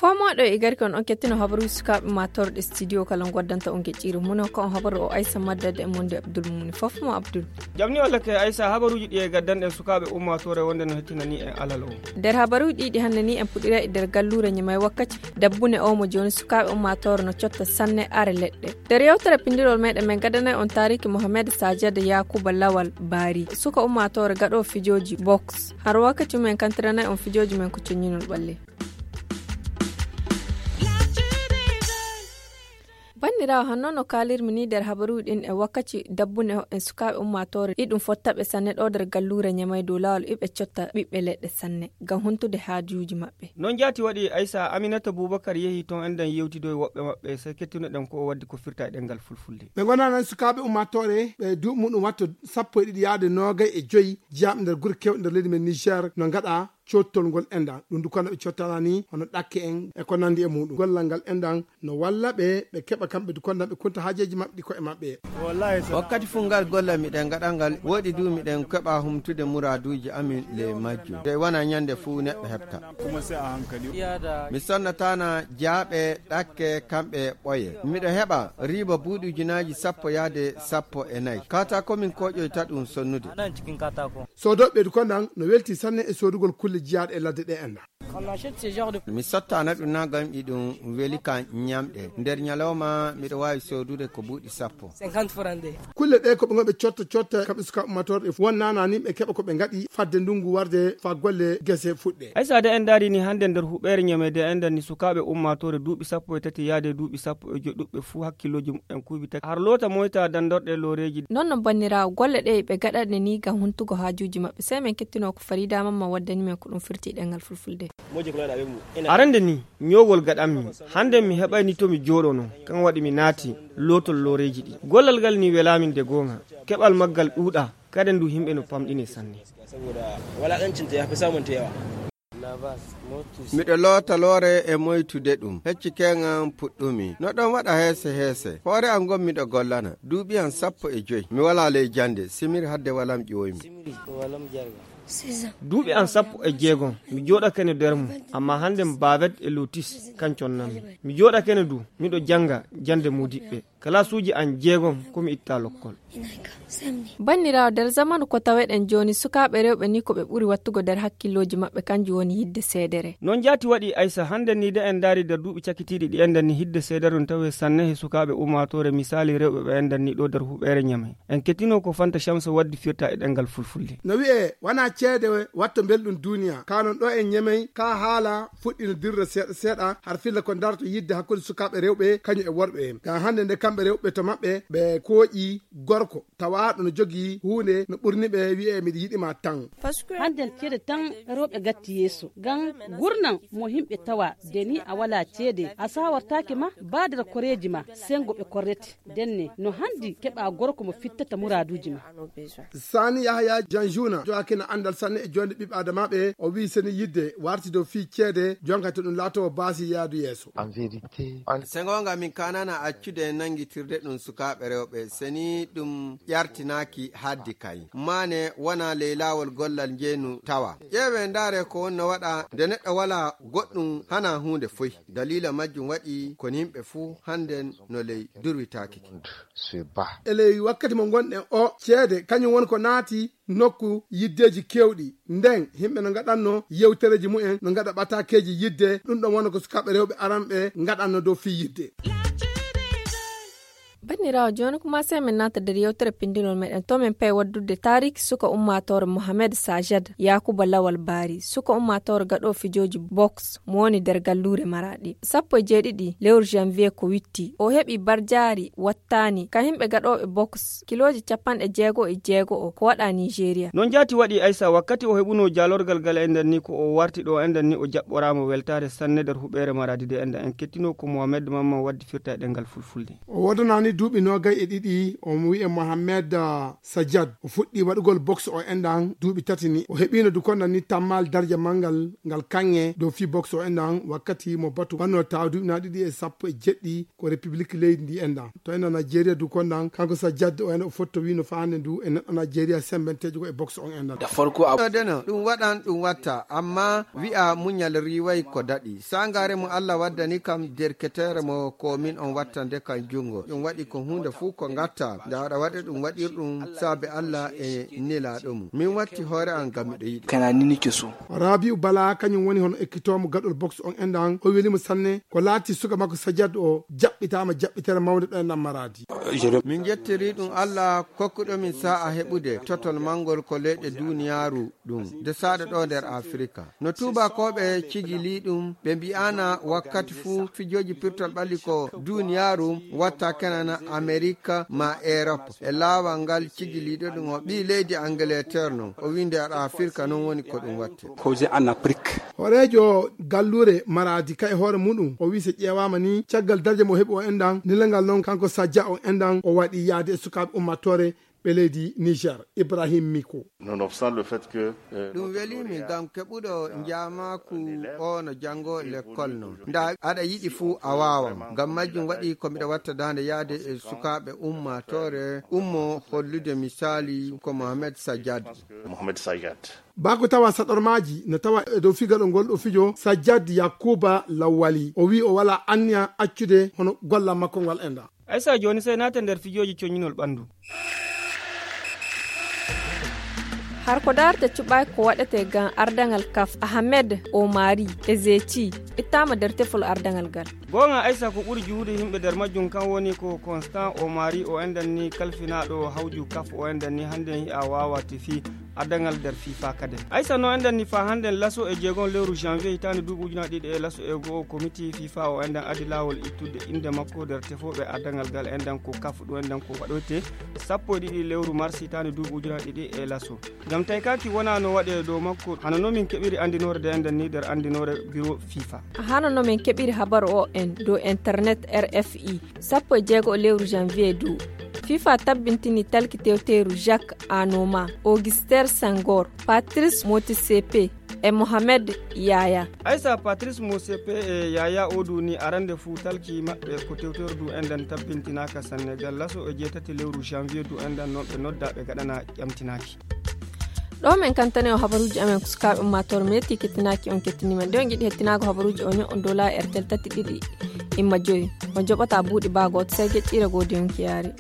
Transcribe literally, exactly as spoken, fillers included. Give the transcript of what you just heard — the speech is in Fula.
Fomooɗo e garki on on kettino habaruuji sukaaɓe ummaatooreɗe studio kala goddanta on geƴƴiire mum ko on habaru o aysa maddade e monde abdul mumni fof mo abdul. Jamni walla ke aysa habaruuji ɗi e gaddanɗen sukaaɓe ummaatoore wonde no hettinani en alal o. Nder habaruuji ɗi ɗi hannde ni en puɗɗira e nder galluure ñamay wakkati dabbune o mo jooni sukaaɓe ummaatoore no cotta sanne are leɗɗe. Nder yewtere pindirol meɗen men gaddanay on taariki mohamed sajad yakuba lawal baari suka ummaatoore gaɗo fijooji box. Haro wakkati mum en kantiranay on fijooji men ko coññinol ɓalle. Banndiraawo, hanno no kaalirmi ni nder habaruuji ɗin e wakkati dabbune hoɗen sukaaɓe ummaatoore ɗi ɗum fottaɓe sanne ɗo nder galluure ñamay dow laawol iɓe cotta ɓiɓɓe leɗɗe sanne ngam huntude haajuuji maɓɓe. Non jaati waɗi aysa aminata bubakar yehi ton enɗen yewtidoy woɓɓe maɓɓe sey kettunoɗen ko o waddi ko firta e ɗengal fulfulde. Ɓe ngonana sukaaɓe ummaatoore ɓe duuɓi muɗum watto sappo e ɗiɗi yaade noogay e joyi jiyaaɓe nder gure kewɗe nder leydi men niger no ngaɗa cottol ngol enɗan ɗum du kono ɓe cottana ni hono ɗakke en e ko nandi e muɗum gollal ngal enɗan no walla ɓe ɓe keɓa kamɓe du kondan ɓe kunta haajeeji maɓɓe ɗi koye maɓɓe. Wakkati fuu ngal gollal miɗen ngaɗa ngal woɗi du miɗen keɓa humtude muraaduuji amin ley majjum de wona ñande fuu neɗɗo heɓta. Mi sonnatana jaaɓe ɗakke kamɓe ɓoye miɗo heɓa riiba buuɗi ujunaaji sappo yaade sappo e nayi kata komin koƴoyta ɗum sonnude. Soodoɓe du kondan no welti sanne e soodugol kulle jiyaaɗe e ladde ɗe enɗan. Mi sottana ɗum na ngam iɗum weli ka ñamɗe nder ñalawma miɗo waawi soodude ko buuɗi sappo. Kulle ɗe ko ɓe ngonɓe cotta cotta kamɓe suka ummatorɗe won nanani ɓe keɓa ko ɓe ngaɗi fadde ndungu warde fa golle gese fuɗɗe. Aysa de en daari ni hannde nder huɓeere ñamede en danni sukaaɓe ummaatoore duuɓi sappo e tati yaade duuɓi sappo e joyi ɗuɓɓe fuu hakkillooji mumen kuuɓi tati har loota moyta dandorɗe looreeji. Non no banniraawo golle ɗe ɓe gaɗanɗe ni ngam huntugo haajuuji maɓɓe sey men kettino ko farida mamma waddani men ko ɗum firti ɗengal fulfulde. Arande ni ñoowol gaɗanmi hannde mi heɓayni to mi jooɗono kan waɗi mi naati lootol looreeji ɗi gollal ngal ni welaamin de goonga keɓal maggal ɗuuɗa kaden du yimɓe no pamɗine sanne. Miɗo loota loore e moytude ɗum hecci keŋan puɗɗumi no ɗon waɗa heese heese hoore an ngon miɗo gollana duuɓi an sappo e joyi mi wala ley jannde simir hadde walam ƴooymi. Duuɓi an sappo e jeegom mi jooɗakene nder mum amma hannde mi baavet e lotis kan connanmi mi jooɗakene du miɗo jannga jannde mudiɓɓe kalasuuji an jeegom ko mi itta lokkol. Banniraawo nder zamanu ko taweɗen jooni sukaaɓe rewɓe ni ko ɓe ɓuri wattugo nder hakkillooji maɓɓe kanjum woni yidde seedere. Non jaati waɗi aysa hannde ni de en ndaari nder duuɓi cakitiiɗi ɗi enɗen ni hidde seedere no tawe sanne he sukaaɓe ummaatoore misaali rewɓe ɓe enɗen ni ɗo nder huɓeere ñamay. En kettino ko fanta camsa waddi firta e ɗengal fulfulde. No wi'e wana ceede watto belɗum duniya ka non ɗo en ñemey ka haala fuɗɗino dirre seeɗa seeɗa har filla ko darto yidde hakkunde sukaaɓe rewɓe kañum e worɓe en ngam hannde nde kamɓe rewɓe to maɓɓe ɓe kooƴi gorko tawaaɗo no jogii huunde no ɓurni ɓe wi'e miɗo yiɗi ma tan. Hannden ceede tan rewɓe gatti yeeso ngam gurnan mo yimɓe tawa de ni a wala ceede a sawartaake ma baadira koreeji ma senngo ɓe korrete. Denne no hanndi keɓa gorko mo fittata muraaduuji ma. Sani yahaya janjuna jogakina anndal sanne e joonde ɓiɓɓe adamaaɓe o wi'i seni yidde warti dow fii ceede jonka to ɗum laatowo baasi yaadu yeeso. Sengonga min kanana accude nangitirde ɗum sukaaɓe rewɓe seni ɗum ƴartinaaki haddi kay maane wona ley laawol gollal njeenu tawa. Ƴeewe ndaare ko wonno waɗa nde neɗɗo wala goɗɗum hana huunde foy. Daliila majjum waɗi kon yimɓe fuu hannden no ley durwitaaki. E ley wakkati mo ngonɗen o ceede kañum woni ko naati nokku yiddeeji keewɗi nden yimɓe no ngaɗanno yewtereeji mumen no ngaɗa ɓataakeeji yidde ɗum ɗon wona ko sukaaɓe rewɓe aranɓe ngaɗanno dow fii yidde. Banniraawo jooni kuma sey min naata nder yewtere pinndinol meɗen to min payi waddudde taariki suka ummaatoore mohamed sajad yakuba lawal baari suka ummaatoore gaɗo fijooji boks mo woni nder galluure maraɗi sappo e jeeɗiɗi lewru janvier ko witti o heɓi barjaari wattaani ka yimɓe gaɗooɓe boks kilooji capanɗe jeego e jeego o ko waɗa nigeria. Non jaati waɗi aysa wakkati o heɓuno jaalorgal gal e nder ni ko o warti ɗo e nder ni o jaɓɓoraama weltaare sanne nder huɓeere maraadi de enda en kettino ko mohamed mamman waddi firta e ɗengal fulfulde. O woodanaani. Duuɓi noogay e ɗiɗi, omo wi'e Mohamed Sajad. O fuɗɗi waɗugol boxe o enɗan duuɓi tati ni. O heɓiino du konɗan ni tammal darja manngal ngal kaŋŋe dow fii boxe o enɗan wakkati mo batu wannoo tawa duuɓi na ɗiɗi e sappo e jeɗɗi ko Republik leydi ndi enɗan. To enɗan Najeriya du konɗan, kanko Sajad o enɗan o fotto wiino faa hannde ndu e neɗɗo Najeriya sembenteejo ko e boxe on enɗan. Deno, ɗum waɗan, ɗum watta, amma wi'a muñal riiway ko daɗi. Saangaare mo Allah waddani kam derketeere mo ko min on wattande kam junngo. Ɗum waɗi ko huunde fuu ko ngatta. Nda aɗa waɗa ɗum waɗir ɗum saabe Allah e nelaaɗo mum. Min watti hoore am ngam miɗo yiɗi. Kana nini ke so. Rabi'u Bala kañum woni hono ekkitoomo gaɗol boxe on enɗan. O welimo sanne. Ko laati suka makko Sajad o jaɓɓitaama jaɓɓitere mawnde ɗo enɗan Maraadi. Min njettiri ɗum Allah kokkuɗo min sa'a heɓude totol mangol ko leyɗe duniyaaru ɗum. Nde saɗa ɗo nder Afirka. No tuubakooɓe cigili ɗum, ɓe mbi'ana wakkati fuu fijooji pirtol ɓalli ko duniyaaru watta kenan Amerika ma Erop. E laawal ngal cigiliiɗo ɗum o ɓii leydi Angleterre non. O wii nder Afirka non woni ko ɗum watte. Ko je en Afrique. Horeejo galluure Maraadi ka e hoore muɗum, o wii so ƴeewaama ni, caggal darja mo heɓi o enɗan, nilangal non kanko Sajja o enɗan, o waɗi yaade e sukaaɓe ummatore ɓe leydi Niger, Ibrahim Miko. Nonobstant le fait que, euh, ɗum weli min ngam keɓuɗo njaamaaku o no janngo lekkol non. Nda aɗa yiɗi fuu a waawan. Ngam majjum waɗi ko miɗa watta daande yaade e sukaaɓe ummatore ummo hollude misaali ko Mohamed Sajjad. Mohamed Sajjad. Bako tawa saɗormaaji no tawa e dow figaɗo ngol ɗo fijo Sajjad Yakuba Lawwali. O wii o wala anniya accude hono gollal makko ngal enɗan. Aysa jooni sey naate nder fijooji coññinol ɓanndu. Har ko daarta cuɓaaki ko waɗetee ngam ardaŋal kaf, Ahmed Omari Ezeti ittaama nder tefol ardaŋal ngal. Goonga Aysa ko ɓuri juhude yimɓe nder majjum kan woni ko Constant Omari o enɗan ni kalfinaaɗo hawju kaf o enɗan ni hannde en hi'a waawa tefi ardaŋal nder fifa kadi. Aysa no enɗan ni faa hannde en laso e jeegom lewru janvier hitaande duuɓi ujunaaji ɗiɗi e laso e go'o komiti fifa o enɗan adi laawol ittude innde makko nder tefooɓe ardaŋal ngal enɗan ko kaf ɗum enɗan ko waɗoyte sappo e ɗiɗi lewru mars hitaande duuɓi ujunaaji ɗiɗi e laso. Ngam taykaaki wonaa no waɗe dow makko hano no min keɓiri anndinoore nde enɗan ni nder anndinoore biro fifa. Hano no min keɓiri habaru o en dow internet R F I sappo e jeego lewru janvier du. Fifa tabbintini talki tewteeru Jacques Anoma, Auguster Senghor, Patrice Motsepe e Mohamed Yaya. Aysa Patrice Motsepe e Yaya o du ni arande fuu talki maɓɓe ko tewteeru du enɗan tabbintinaaka Senegal laso e jeetati lewru janvier du enɗan non ɓe nodda ɓe gaɗana ƴamtinaaki. Ɗo min kantane o habaruuji amen ko sukaaɓe ummaatoore meetii kettinaaki on kettiniima. Nde on yiɗi hettinaago habaruuji o ño'on dow laawi R T L tati ɗiɗi imma joyi. On joɓata buuɗi baa gooto sey geƴƴiire goodi yonki yaari.